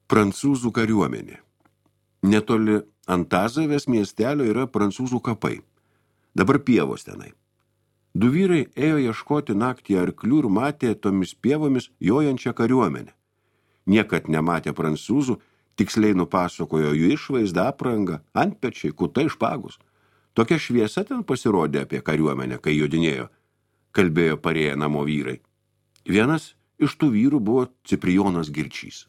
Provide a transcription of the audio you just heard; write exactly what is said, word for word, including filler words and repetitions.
Prancūzų kariuomenė. Netoli Antazavės miestelio yra prancūzų kapai. Dabar pievos tenai. Du vyrai ėjo ieškoti naktį arklių ir matė tomis pievomis jojančią kariuomenę. Niekad nematė prancūzų, tiksliai nupasakojo jų išvaizdą, aprangą, antpečiai, kutai, špagus. Tokia šviesa ten pasirodė apie kariuomenę, kai jodinėjo, kalbėjo parėję namo vyrai. Vienas iš tų vyrų buvo Ciprijonas Girčys.